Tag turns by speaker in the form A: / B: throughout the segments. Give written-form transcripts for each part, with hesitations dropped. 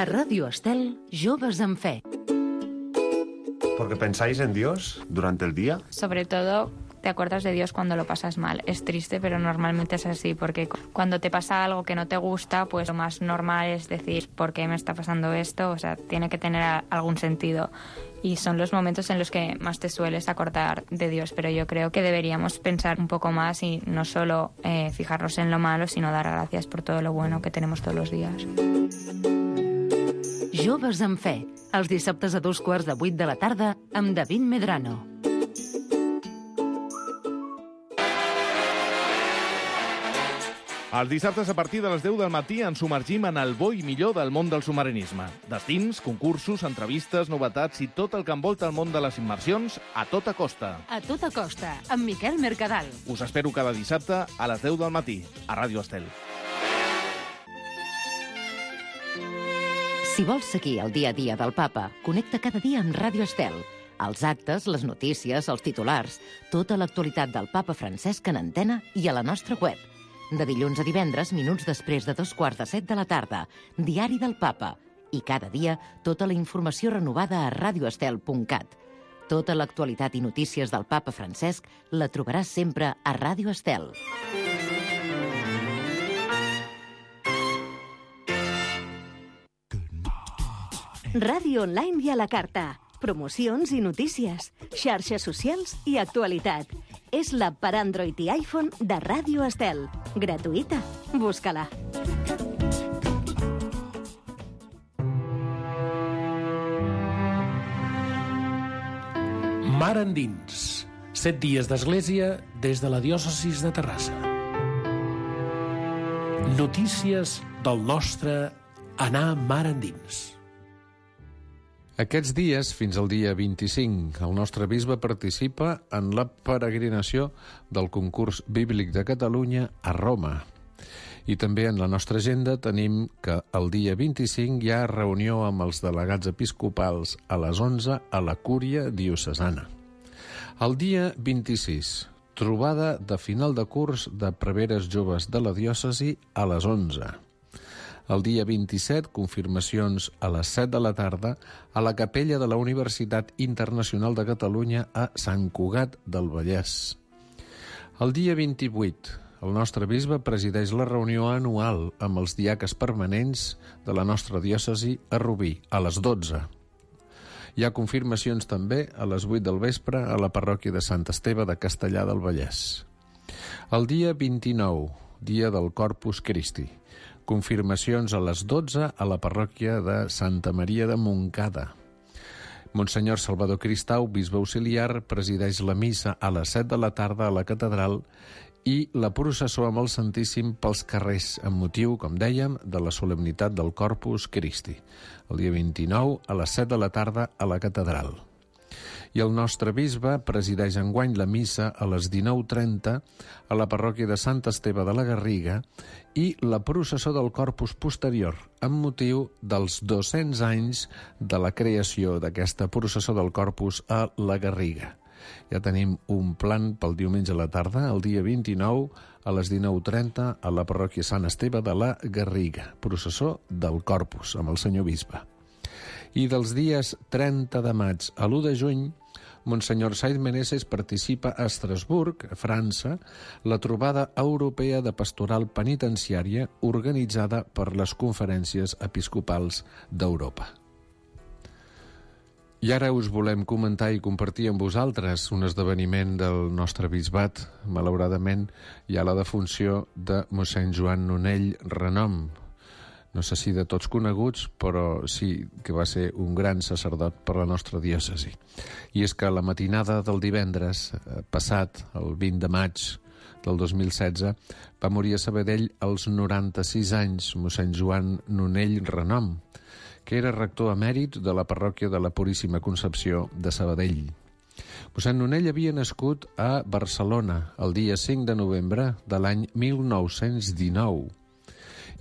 A: A Radio Estel, Joves en Fe.
B: ¿Porque pensáis en Dios durante el día?
C: Sobre todo, te acuerdas de Dios cuando lo pasas mal. Es triste, pero normalmente es así, porque cuando te pasa algo que no te gusta, pues lo más normal es decir, ¿por qué me está pasando esto? O sea, tiene que tener algún sentido. Y son los momentos en los que más te sueles acordar de Dios, pero yo creo que deberíamos pensar un poco más y no solo fijarnos en lo malo, sino dar gracias por todo lo bueno que tenemos todos los días.
A: Joves en Fe, els dissabtes a 7:15 de la tarda amb David Medrano.
D: Els dissabtes a partir de les 10 del matí ens submergim en el bo i millor del món del submarinisme. Destins, concursos, entrevistes, novetats i tot el que envolta el món de les immersions a tota costa.
A: A tota costa, amb Miquel Mercadal.
D: Us espero cada dissabte a les 10 del matí, a Ràdio Estel.
A: Si vols seguir el dia a dia del Papa, connecta cada dia amb Ràdio Estel. Els actes, les notícies, els titulars, tota l'actualitat del Papa Francesc en antena i a la nostra web. De dilluns a divendres, minuts després de 7:15 de la tarda, Diari del Papa. I cada dia, tota la informació renovada a radioestel.cat. Tota l'actualitat i notícies del Papa Francesc la trobaràs sempre a Ràdio Estel.
E: Ràdio online i a la carta. Promocions i notícies, xarxes socials i actualitat. És l'app per Android i iPhone de Ràdio Estel. Gratuïta. Busca-la.
F: Mar endins. 7 dies d'església des de la diòcesis de Terrassa. Notícies del nostre anar mar endins.
G: Aquests dies, fins al dia 25, el nostre bisbe participa en la peregrinació del concurs bíblic de Catalunya a Roma. I també en la nostra agenda tenim que el dia 25 hi ha reunió amb els delegats episcopals a les 11 a la Cúria Diocesana. El dia 26, trobada de final de curs de preveres joves de la diòcesi a les 11. El dia 27, confirmacions a les 7 de la tarda a la capella de la Universitat Internacional de Catalunya a Sant Cugat del Vallès. El dia 28, el nostre bisbe presideix la reunió anual amb els diaques permanents de la nostra diòcesi a Rubí, a les 12. Hi ha confirmacions també a les 8 del vespre a la parròquia de Sant Esteve de Castellar del Vallès. El dia 29, dia del Corpus Christi. Confirmacions a les 12 a la parròquia de Santa Maria de Montcada. Monsenyor Salvador Cristau, bisbe auxiliar, presideix la missa a les 7 de la tarda a la catedral i la processó amb el Santíssim pels carrers, amb motiu, com dèiem, de la solemnitat del Corpus Christi, el dia 29 a les 7 de la tarda a la catedral. I el nostre bisbe presideix enguany la missa a les 19:30 a la parròquia de Sant Esteve de la Garriga i la processó del Corpus posterior, amb motiu dels 200 anys de la creació d'aquesta processó del Corpus a la Garriga. Ja tenim un plan pel diumenge a la tarda, el dia 29, a les 19:30, a la parròquia Sant Esteve de la Garriga, processó del Corpus, amb el senyor bisbe. I dels dies 30 de maig a l'1 de juny, Monsenyor Said Meneses participa a Estrasburg, a França, la trobada europea de pastoral penitenciària organitzada per les conferències episcopals d'Europa. I ara us volem comentar i compartir amb vosaltres un esdeveniment del nostre bisbat. Malauradament hi ha la defunció de mossèn Joan Nonell Renom. No sé si de tots coneguts, però sí que va ser un gran sacerdot per la nostra diòcesi. I és que la matinada del divendres passat, el 20 de maig del 2016, va morir a Sabadell als 96 anys mossèn Joan Nonell Renom, que era rector emèrit de la parròquia de la Puríssima Concepció de Sabadell. Mossèn Nonell havia nascut a Barcelona el dia 5 de novembre de l'any 1919.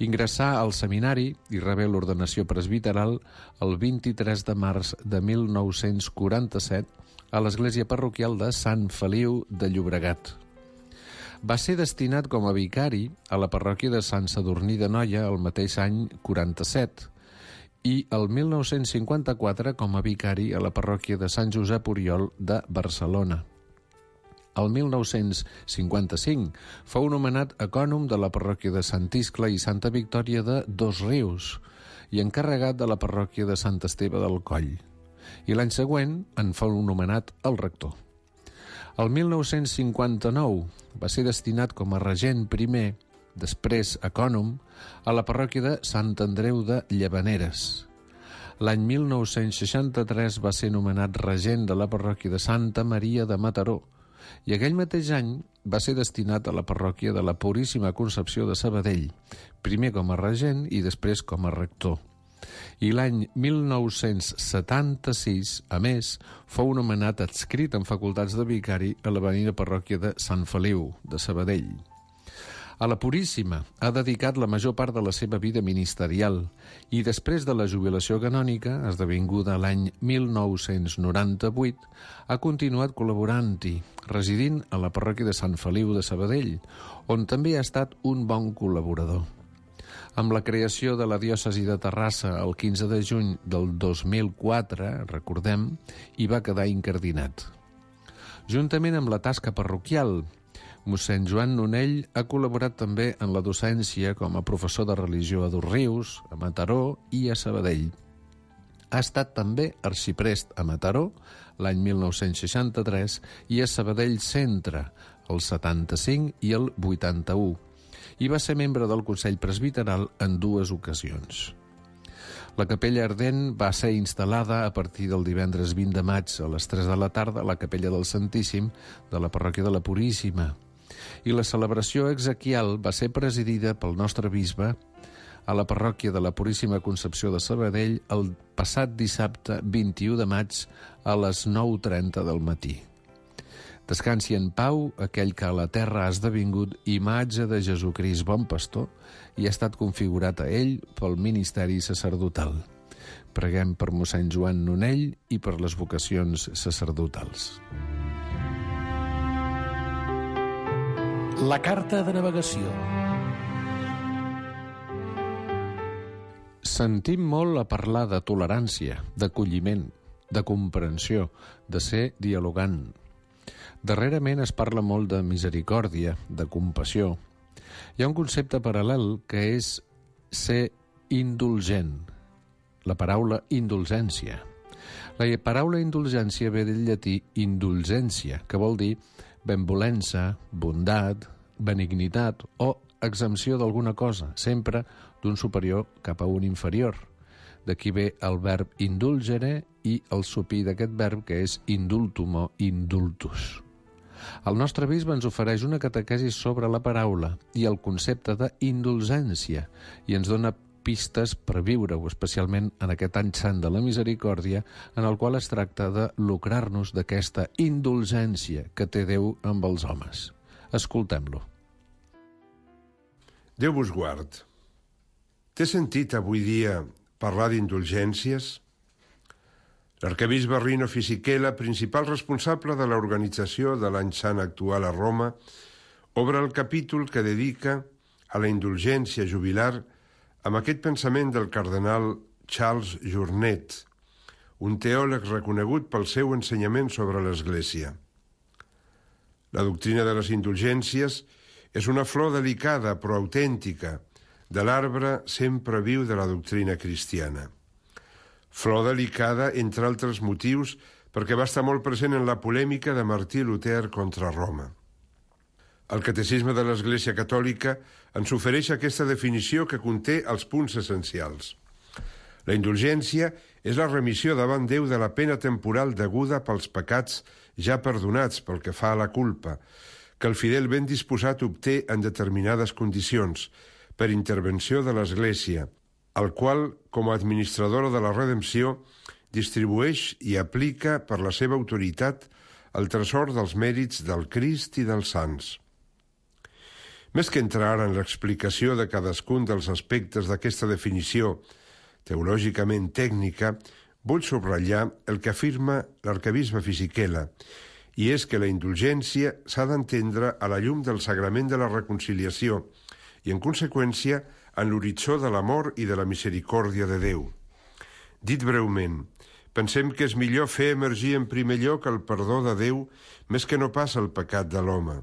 G: Ingressà al seminari i rebé l'ordenació presbiteral el 23 de març de 1947 a l'església parroquial de Sant Feliu de Llobregat. Va ser destinat com a vicari a la parròquia de Sant Sadurní d'Anoia el mateix any 47 i el 1954 com a vicari a la parròquia de Sant Josep Oriol de Barcelona. El 1955 fou nomenat ecònom de la parròquia de Sant Iscle i Santa Victòria de Dosrius i encarregat de la parròquia de Sant Esteve del Coll. I l'any següent en fou nomenat el rector. El 1959 va ser destinat com a regent primer, després ecònom, a la parròquia de Sant Andreu de Llavaneres. L'any 1963 va ser nomenat regent de la parròquia de Santa Maria de Mataró i aquell mateix any va ser destinat a la parròquia de la Puríssima Concepció de Sabadell, primer com a regent i després com a rector. I l'any 1976, a més, fou nomenat adscrit en facultats de vicari a la veïna parròquia de Sant Feliu, de Sabadell. A la Puríssima ha dedicat la major part de la seva vida ministerial i després de la jubilació canònica, esdevinguda l'any 1998, ha continuat col·laborant-hi, residint a la parròquia de Sant Feliu de Sabadell, on també ha estat un bon col·laborador. Amb la creació de la diòcesi de Terrassa el 15 de juny del 2004, recordem, hi va quedar incardinat. Juntament amb la tasca parroquial, mossèn Joan Nonell ha col·laborat també en la docència com a professor de religió a Dosrius, a Mataró i a Sabadell. Ha estat també arxiprest a Mataró l'any 1963 i a Sabadell Centre el 75 i el 81 i va ser membre del Consell Presbiteral en 2 ocasions. La capella ardent va ser instal·lada a partir del divendres 20 de maig a les 3 de la tarda a la capella del Santíssim de la parròquia de la Puríssima. I la celebració exequial va ser presidida pel nostre bisbe a la parròquia de la Puríssima Concepció de Sabadell el passat dissabte 21 de maig a les 9:30 del matí. Descansi en pau aquell que a la terra ha esdevingut imatge de Jesucrist bon pastor i ha estat configurat a ell pel ministeri sacerdotal. Preguem per mossèn Joan Nonell i per les vocacions sacerdotals.
F: La carta de navegació.
G: Sentim molt a parlar de tolerància, d'acolliment, de comprensió, de ser dialogant. Darrerament es parla molt de misericòrdia, de compassió. Hi ha un concepte paral·lel que és ser indulgent, la paraula indulgència. La paraula indulgència ve del llatí indulgència, que vol dir benvolença, bondat, benignitat o exempció d'alguna cosa, sempre d'un superior cap a un inferior. D'aquí ve el verb indulgere i el supí d'aquest verb que és indultum o indultus. El nostre bisbe ens ofereix una catequesi sobre la paraula i el concepte d'indulgència i ens dona pistes per viure-ho, especialment en aquest any sant de la misericòrdia, en el qual es tracta de lucrar-nos d'aquesta indulgència que té Déu amb els homes. Escoltem-lo.
B: Déu vos guard. Té sentit avui dia parlar d'indulgències? L'arquebisbe Rino Fisichella, principal responsable de l'organització de l'any sant actual a Roma, obre el capítol que dedica a la indulgència jubilar amb aquest pensament del cardenal Charles Journet, un teòleg reconegut pel seu ensenyament sobre l'Església. La doctrina de les indulgències és una flor delicada però autèntica de l'arbre sempre viu de la doctrina cristiana. Flor delicada, entre altres motius, perquè va estar molt present en la polèmica de Martí Luter contra Roma. El Catecisme de l'Església Catòlica ens ofereix aquesta definició que conté els punts essencials. La indulgència és la remissió davant Déu de la pena temporal deguda pels pecats ja perdonats pel que fa a la culpa, que el fidel ben disposat obté en determinades condicions, per intervenció de l'Església, el qual, com a administradora de la redempció, distribueix i aplica per la seva autoritat el tresor dels mèrits del Crist i dels sants. Més que entrar en l'explicació de cadascun dels aspectes d'aquesta definició teològicament tècnica, vull subratllar el que afirma l'arquebisbe Fisichella, i és que la indulgència s'ha d'entendre a la llum del sagrament de la reconciliació i, en conseqüència, en l'horitzó de l'amor i de la misericòrdia de Déu. Dit breument, pensem que és millor fer emergir en primer lloc el perdó de Déu més que no pas el pecat de l'home.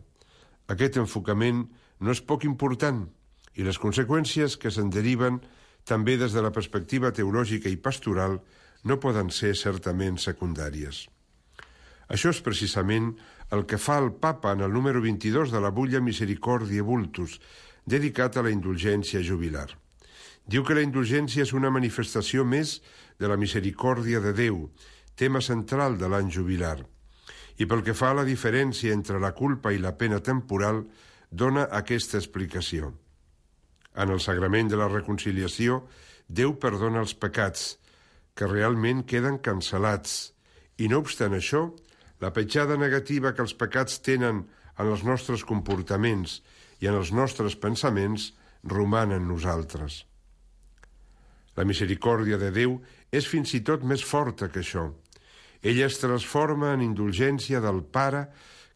B: Aquest enfocament no és poc important i les conseqüències que se'n deriven, també des de la perspectiva teològica i pastoral, no poden ser certament secundàries. Això és precisament el que fa el Papa en el número 22 de la butlla Misericordiae Vultus, dedicat a la indulgència jubilar. Diu que la indulgència és una manifestació més de la misericòrdia de Déu, tema central de l'any jubilar. I pel que fa a la diferència entre la culpa i la pena temporal, dona aquesta explicació. En el sagrament de la reconciliació, Déu perdona els pecats, que realment queden cancel·lats, i no obstant això, la petjada negativa que els pecats tenen en els nostres comportaments i en els nostres pensaments roman en nosaltres. La misericòrdia de Déu és fins i tot més forta que això. Ella es transforma en indulgència del Pare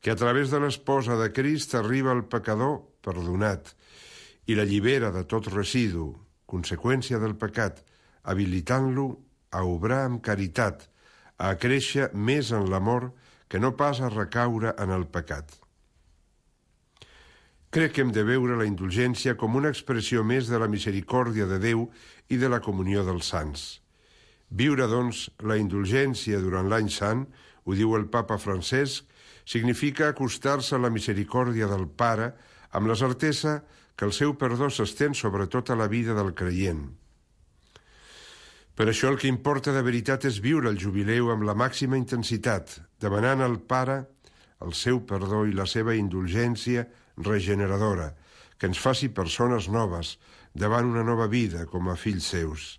B: que a través de l'esposa de Crist arriba al pecador perdonat i l'allibera de tot residu, conseqüència del pecat, habilitant-lo a obrar amb caritat, a créixer més en l'amor que no pas a recaure en el pecat. Crec que hem de veure la indulgència com una expressió més de la misericòrdia de Déu i de la comunió dels sants. Viure, doncs, la indulgència durant l'any sant, ho diu el papa Francesc, significa acostar-se a la misericòrdia del Pare amb la certesa que el seu perdó s'estén sobre tota la vida del creient. Per això el que importa de veritat és viure el jubileu amb la màxima intensitat, demanant al Pare el seu perdó i la seva indulgència regeneradora, que ens faci persones noves davant una nova vida com a fills seus,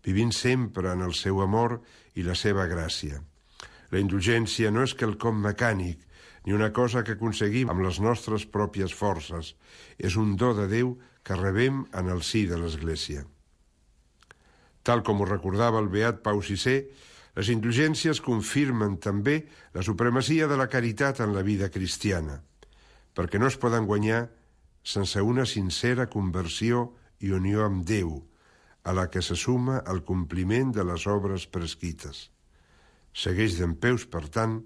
B: vivint sempre en el seu amor i la seva gràcia. La indulgència no és quelcom mecànic, ni una cosa que aconseguim amb les nostres pròpies forces. És un do de Déu que rebem en el si de l'Església. Tal com ho recordava el beat Pau VI, les indulgències confirmen també la supremacia de la caritat en la vida cristiana, perquè no es poden guanyar sense una sincera conversió i unió amb Déu, a la que se suma el compliment de les obres prescrites. Segueix dempeus, per tant,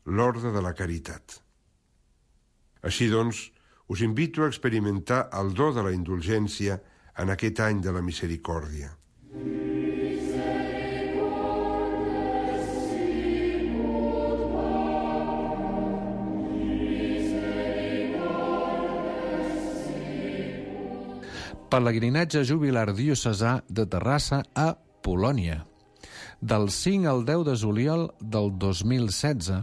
B: l'ordre de la caritat. Així doncs, us invito a experimentar el do de la indulgència en aquest any de la misericòrdia.
G: Pelegrinatge jubilar diocesà de Terrassa a Polònia. Del 5 al 10 de juliol del 2016,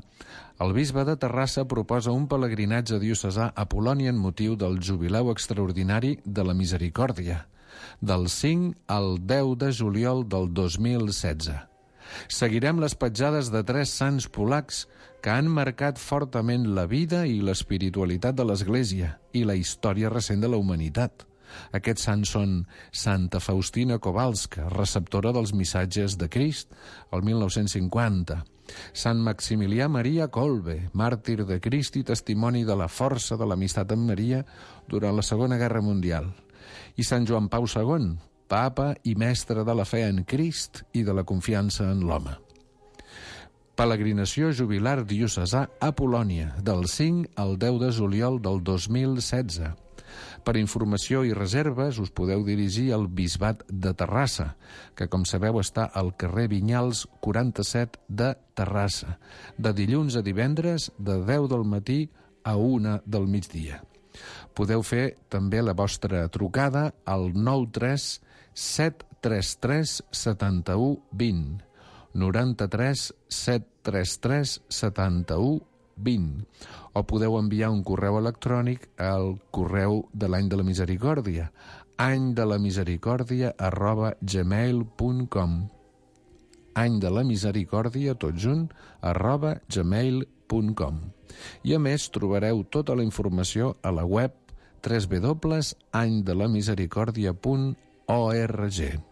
G: el bisbe de Terrassa proposa un pelegrinatge diocesà a Polònia en motiu del jubileu extraordinari de la Misericòrdia, del 5 al 10 de juliol del 2016. Seguirem les petjades de 3 sants polacs que han marcat fortament la vida i l'espiritualitat de l'Església i la història recent de la humanitat. Aquests sants són Santa Faustina Kowalska, receptora dels missatges de Crist, el 1950, Sant Maximilià Maria Kolbe, màrtir de Crist i testimoni de la força de l'amistat amb Maria durant la Segona Guerra Mundial, i Sant Joan Pau II, papa i mestre de la fe en Crist i de la confiança en l'home. Peregrinació jubilar diocesà a Polònia, del 5 al 10 de juliol del 2016. Per informació i reserves us podeu dirigir al Bisbat de Terrassa, que, com sabeu, està al carrer Vinyals 47 de Terrassa, de dilluns a divendres de 10 del matí a 1 del migdia. Podeu fer també la vostra trucada al 93 733 71 20, 93 733 71 20, o podeu enviar un correu electrònic al correu de l'Any de la Misericòrdia, anydelamisericòrdia@gmail.com, anydelamisericòrdia, tot junt, @gmail.com. I a més trobareu tota la informació a la web www.anydelamisericòrdia.org.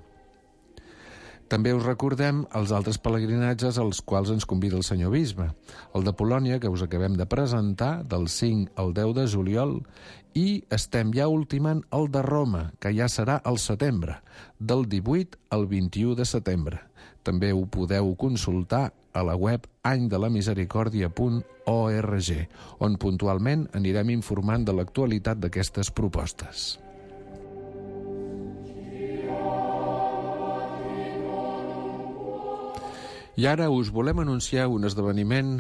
G: També us recordem els altres pelegrinatges als quals ens convida el senyor bisbe. El de Polònia, que us acabem de presentar, del 5 al 10 de juliol, i estem ja ultimant el de Roma, que ja serà al setembre, del 18 al 21 de setembre. També ho podeu consultar a la web anydelamisericordia.org, on puntualment anirem informant de l'actualitat d'aquestes propostes. I ara us volem anunciar un esdeveniment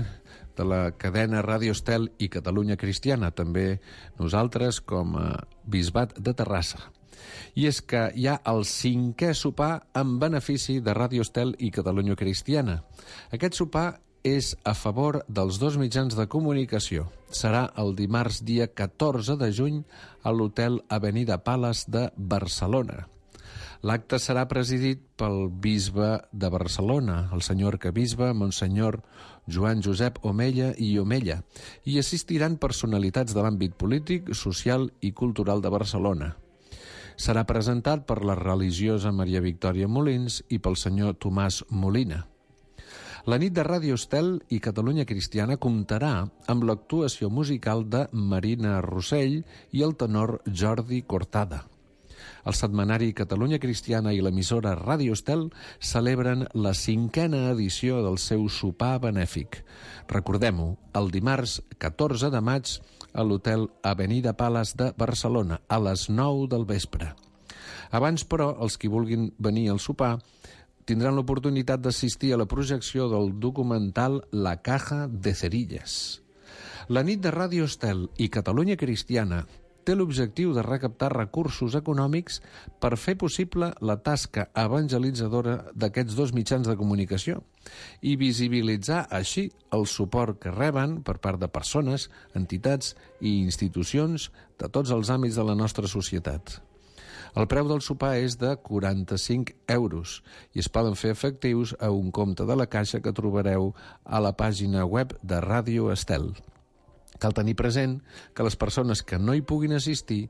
G: de la cadena Ràdio Estel i Catalunya Cristiana, també nosaltres com a Bisbat de Terrassa. I és que hi ha el 5è sopar en benefici de Ràdio Estel i Catalunya Cristiana. Aquest sopar és a favor dels dos mitjans de comunicació. Serà el dimarts dia 14 de juny a l'Hotel Avenida Palace de Barcelona. L'acte serà presidit pel bisbe de Barcelona, el senyor arquebisbe, Monsenyor Joan Josep Omella i Omella, i assistiran personalitats de l'àmbit polític, social i cultural de Barcelona. Serà presentat per la religiosa Maria Victòria Molins i pel senyor Tomàs Molina. La nit de Ràdio Estel i Catalunya Cristiana comptarà amb l'actuació musical de Marina Rossell i el tenor Jordi Cortada. El setmanari Catalunya Cristiana i l'emissora Ràdio Estel celebren la 5a edició del seu sopar benèfic. Recordem-ho, el dimarts 14 de maig a l'Hotel Avenida Palace de Barcelona, a les 9 del vespre. Abans, però, els qui vulguin venir al sopar tindran l'oportunitat d'assistir a la projecció del documental La Caja de Cerillas. La nit de Ràdio Estel i Catalunya Cristiana té l'objectiu de recaptar recursos econòmics per fer possible la tasca evangelitzadora d'aquests dos mitjans de comunicació i visibilitzar així el suport que reben per part de persones, entitats i institucions de tots els àmbits de la nostra societat. El preu del sopar és de 45 euros i es poden fer efectius a un compte de la Caixa que trobareu a la pàgina web de Ràdio Estel. Cal tenir present que les persones que no hi puguin assistir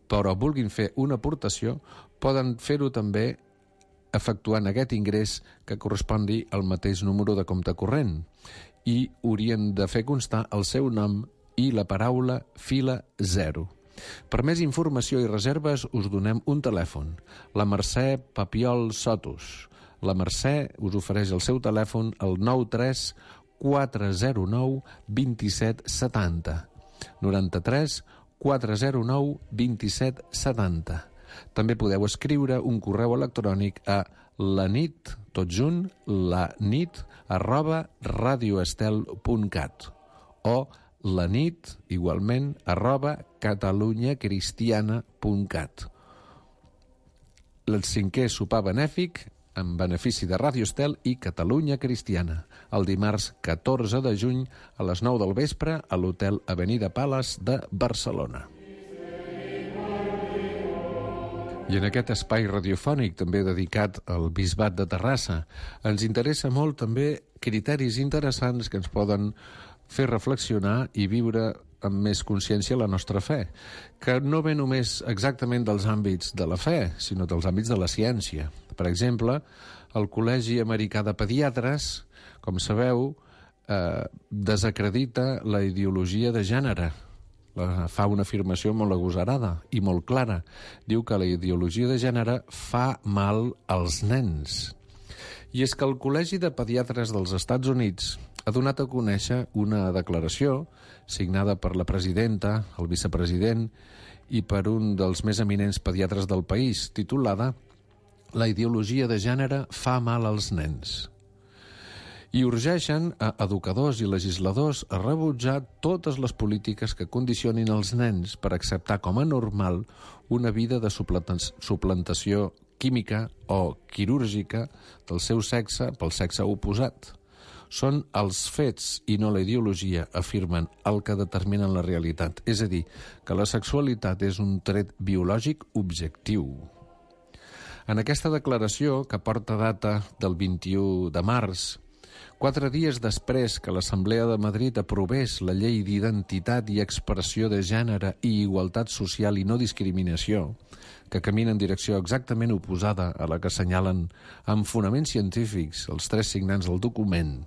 G: però vulguin fer una aportació poden fer-ho també efectuant aquest ingrés que correspongui al mateix número de compte corrent i haurien de fer constar el seu nom i la paraula fila 0. Per més informació i reserves us donem un telèfon, la Mercè Papiol Sotos. La Mercè us ofereix el seu telèfon al 93 409 27 70. 93 409 27 70. També podeu escriure un correu electrònic a lanit, tot junt, lanit@radioestel.cat o lanit, igualment, @catalunyacristiana.cat. El 5è sopar benèfic en benefici de Ràdio Estel i Catalunya Cristiana, el dimarts 14 de juny a les 9 del vespre a l'Hotel Avenida Palace de Barcelona. I en aquest espai radiofònic, també dedicat al Bisbat de Terrassa, ens interessa molt també criteris interessants que ens poden fer reflexionar i viure amb més consciència la nostra fe, que no ve només exactament dels àmbits de la fe, sinó dels àmbits de la ciència. Per exemple, el Col·legi Americà de Pediatres, com sabeu, desacredita la ideologia de gènere. Fa una afirmació molt agosarada i molt clara. Diu que la ideologia de gènere fa mal als nens. I és que el Col·legi de Pediatres dels Estats Units ha donat a conèixer una declaració signada per la presidenta, el vicepresident i per un dels més eminents pediatres del país, titulada La ideologia de gènere fa mal als nens. I urgeixen a educadors i legisladors a rebutjar totes les polítiques que condicionin els nens per acceptar com a normal una vida de suplantació química o quirúrgica del seu sexe pel sexe oposat. Són els fets i no la ideologia, afirmen, el que determinen la realitat. És a dir, que la sexualitat és un tret biològic objectiu. En aquesta declaració, que porta data del 21 de març, 4 dies després que l'Assemblea de Madrid aprovés la llei d'identitat i expressió de gènere i igualtat social i no discriminació, que camina en direcció exactament oposada a la que assenyalen amb fonaments científics els 3 signants del document,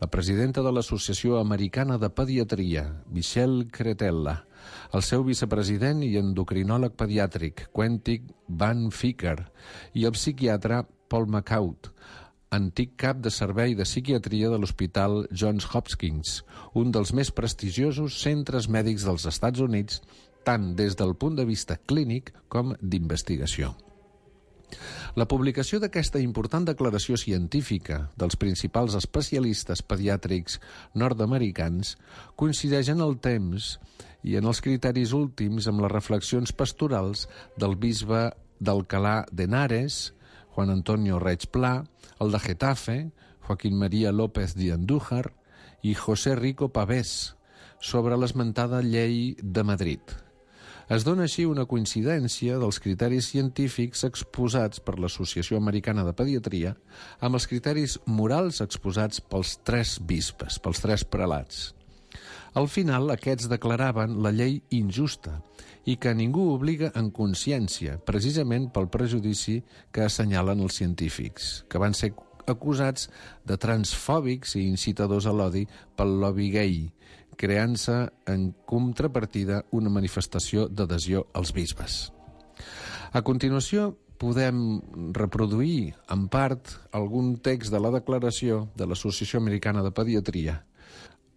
G: la presidenta de l'Associació Americana de Pediatria, Michelle Cretella, el seu vicepresident i endocrinòleg pediàtric, Quentin Van Vicker, i el psiquiatre Paul McCaut, antic cap de servei de psiquiatria de l'Hospital Johns Hopkins, un dels més prestigiosos centres mèdics dels Estats Units, tant des del punt de vista clínic com d'investigació. La publicació d'aquesta important declaració científica dels principals especialistes pediàtrics nord-americans coincideix en el temps i en els criteris últims amb les reflexions pastorals del bisbe d'Alcalá de Henares, Juan Antonio Reig Pla, el de Getafe, Joaquín María López de Andújar i José Rico Pavés, sobre l'esmentada llei de Madrid. Es dona així una coincidència dels criteris científics exposats per l'Associació Americana de Pediatria amb els criteris morals exposats pels 3 bisbes, pels 3 prelats. Al final, aquests declaraven la llei injusta i que ningú obliga en consciència, precisament pel prejudici que assenyalen els científics, que van ser acusats de transfòbics i incitadors a l'odi pel lobby gay, creant-se en contrapartida una manifestació d'adhesió als bisbes. A continuació, podem reproduir, en part, algun text de la declaració de l'Associació Americana de Pediatria.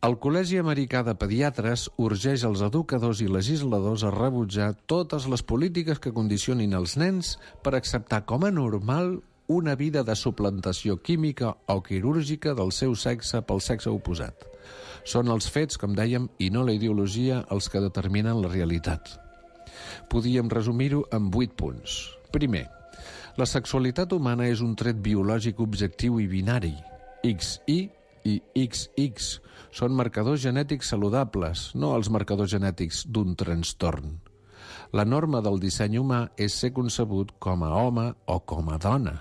G: El Col·legi Americà de Pediatres urgeix els educadors i legisladors a rebutjar totes les polítiques que condicionin els nens per acceptar com a normal una vida de suplantació química o quirúrgica del seu sexe pel sexe oposat. Són els fets, com dèiem, i no la ideologia, els que determinen la realitat. Podíem resumir-ho en 8 punts. Primer, la sexualitat humana és un tret biològic objectiu i binari. XY i XX són marcadors genètics saludables, no els marcadors genètics d'un trastorn. La norma del disseny humà és ser concebut com a home o com a dona.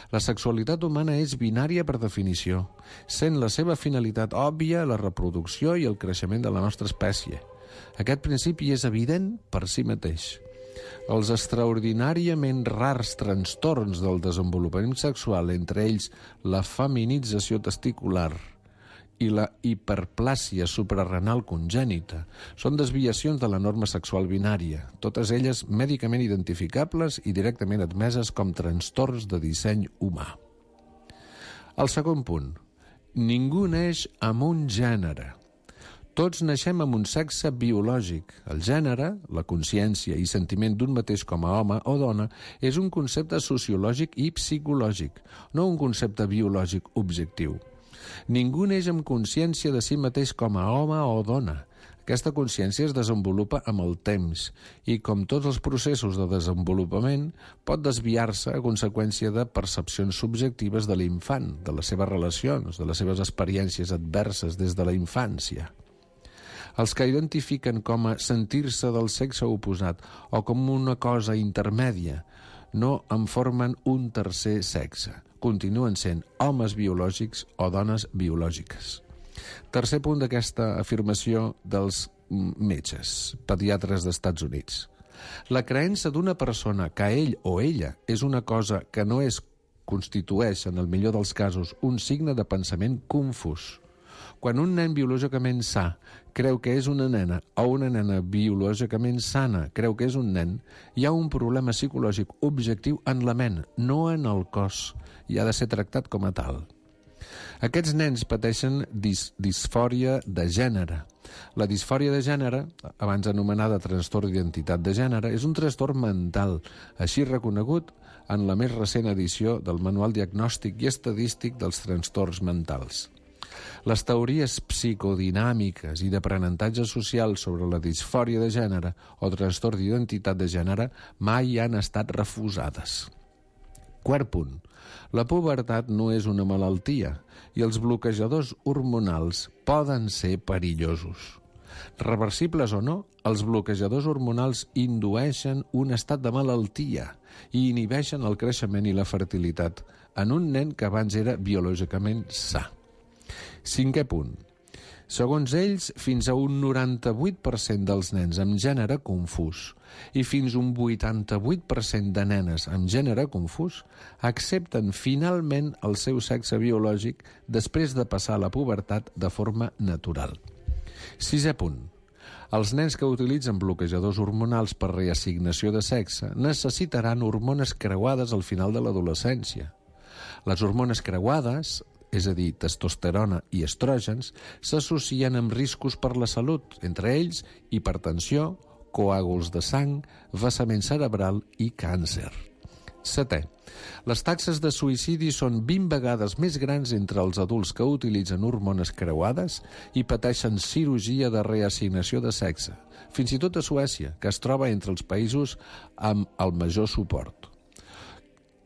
G: La sexualitat humana és binària per definició, sent la seva finalitat òbvia la reproducció i el creixement de la nostra espècie. Aquest principi és evident per si mateix. Els extraordinàriament rars trastorns del desenvolupament sexual, entre ells la feminització testicular i la hiperplàsia suprarrenal congènita, són desviacions de la norma sexual binària, totes elles mèdicament identificables i directament admeses com trastorns de disseny humà. El segon punt. Ningú neix amb un gènere. Tots naixem amb un sexe biològic. El gènere, la consciència i sentiment d'un mateix com a home o dona, és un concepte sociològic i psicològic, no un concepte biològic objectiu. Ningú neix amb consciència de si mateix com a home o dona. Aquesta consciència es desenvolupa amb el temps i, com tots els processos de desenvolupament, pot desviar-se a conseqüència de percepcions subjectives de l'infant, de les seves relacions, de les seves experiències adverses des de la infància. Els que identifiquen com a sentir-se del sexe oposat o com una cosa intermèdia no en formen un tercer sexe. Continuen sent homes biològics o dones biològiques. Tercer punt d'aquesta afirmació dels metges, pediatres d'Estats Units. La creença d'una persona que ell o ella és una cosa que no és constitueix, en el millor dels casos, un signe de pensament confús. Quan un nen biològicament sa creu que és una nena o una nena biològicament sana creu que és un nen, hi ha un problema psicològic objectiu en la ment, no en el cos, i ha de ser tractat com a tal. Aquests nens pateixen disfòria de gènere. La disfòria de gènere, abans anomenada trastorn d'identitat de gènere, és un trastorn mental, així reconegut en la més recent edició del Manual Diagnòstic i Estadístic dels Trastorns Mentals. Les teories psicodinàmiques i d'aprenentatge social sobre la disfòria de gènere o trastorn d'identitat de gènere mai han estat refusades. Quart punt. La pubertat no és una malaltia i els bloquejadors hormonals poden ser perillosos. Reversibles o no, els bloquejadors hormonals indueixen un estat de malaltia i inhibeixen el creixement i la fertilitat en un nen que abans era biològicament sa. 5è punt. Segons ells, fins a un 98% dels nens amb gènere confús i fins a un 88% de nenes amb gènere confús accepten finalment el seu sexe biològic després de passar la pubertat de forma natural. 6è punt. Els nens que utilitzen bloquejadors hormonals per reassignació de sexe necessitaran hormones creuades al final de l'adolescència. Les hormones creuades, és a dir, testosterona i estrògens, s'associen amb riscos per la salut, entre ells hipertensió, coàguls de sang, vessament cerebral i càncer. 7è. Les taxes de suïcidi són 20 vegades més grans entre els adults que utilitzen hormones creuades i pateixen cirurgia de reassignació de sexe, fins i tot a Suècia, que es troba entre els països amb el major suport.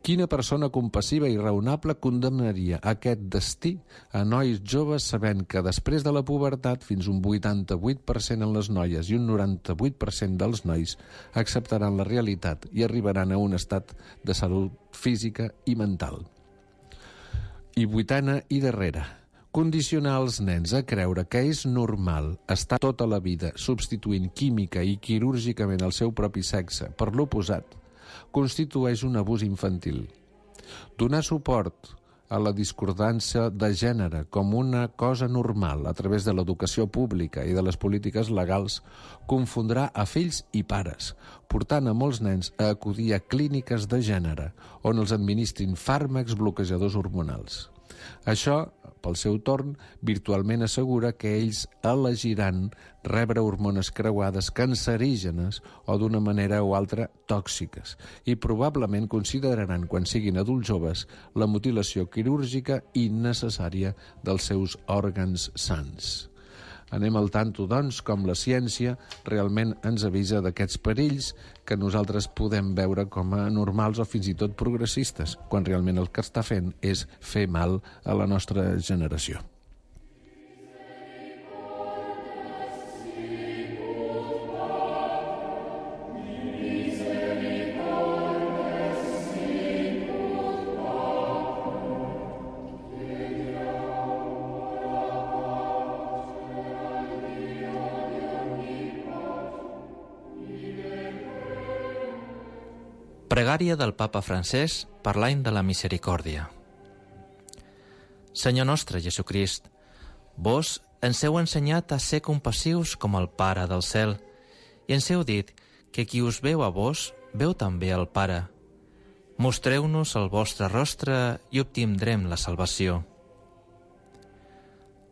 G: Quina persona compassiva i raonable condemnaria aquest destí a nois joves sabent que després de la pubertat fins un 88% en les noies i un 98% dels nois acceptaran la realitat i arribaran a un estat de salut física i mental? I 8a i darrera. Condicionar els nens a creure que és normal estar tota la vida substituint química i quirúrgicament el seu propi sexe per l'oposat constitueix un abús infantil. Donar suport a la discordança de gènere com una cosa normal a través de l'educació pública i de les polítiques legals confondrà a fills i pares, portant a molts nens a acudir a clíniques de gènere on els administrin fàrmacs bloquejadors hormonals. Això, pel seu torn, virtualment assegura que ells elegiran rebre hormones creuades cancerígenes o d'una manera o altra tòxiques i probablement consideraran, quan siguin adults joves, la mutilació quirúrgica innecessària dels seus òrgans sants. Anem al tanto, doncs, com la ciència realment ens avisa d'aquests perills que nosaltres podem veure com a normals o fins i tot progressistes, quan realment el que està fent és fer mal a la nostra generació.
H: Pregària del Papa Francesc per l'any de la misericòrdia. Senyor nostre Jesucrist, vos ens heu ensenyat a ser compassius com el Pare del cel i ens heu dit que qui us veu a vos, veu també al Pare. Mostreu-nos el vostre rostre i obtindrem la salvació.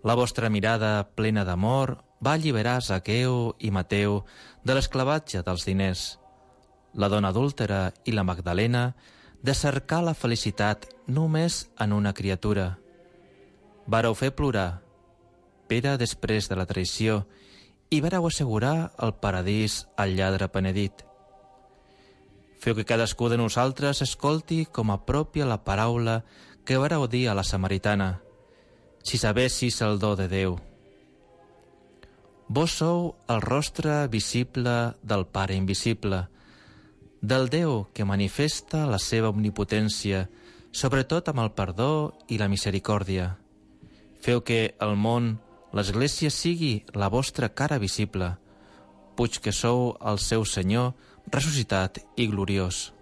H: La vostra mirada plena d'amor va alliberar Zaqueu i Mateu de l'esclavatge dels diners, la dona adúltera i la Magdalena de cercar la felicitat només en una criatura. Vareu fer plorar Pere després de la traïció i vareu assegurar el paradís al lladre penedit. Feu que cadascú de nosaltres escolti com a pròpia la paraula que vareu dir a la samaritana, si sabessis el do de Déu. Vos sou el rostre visible del Pare invisible, del Déu que manifesta la seva omnipotència, sobretot amb el perdó i la misericòrdia. Feu que el món, l'Església, sigui la vostra cara visible, puig que sou el seu Senyor ressuscitat i gloriós.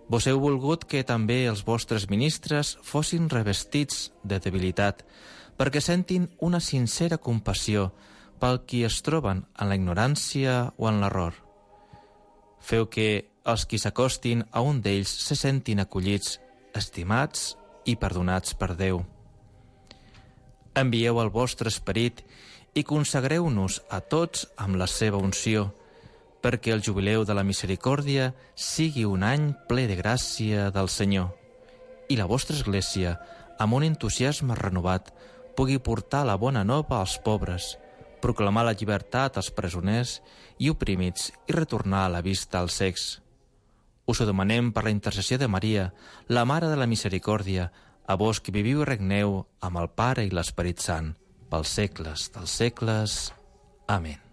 H: Vos heu volgut que també els vostres ministres fossin revestits de debilitat, perquè sentin una sincera compassió pel qui es troben en la ignorància o en l'error. Feu que els qui s'acostin a un d'ells se sentin acollits, estimats i perdonats per Déu. Envieu el vostre esperit i consagreu-nos a tots amb la seva unció, perquè el jubileu de la misericòrdia sigui un any ple de gràcia del Senyor i la vostra Església, amb un entusiasme renovat, pugui portar la bona nova als pobres, proclamar la llibertat als presoners i oprimits i retornar la vista als cecs. Us ho demanem per la intercessió de Maria, la Mare de la Misericòrdia, a vos que viviu i regneu amb el Pare i l'Esperit Sant, pels segles dels segles. Amén.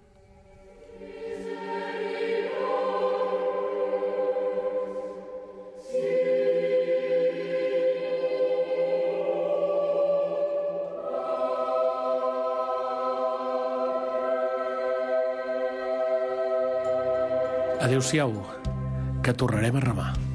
F: Adéu-siau, que tornarem a remar.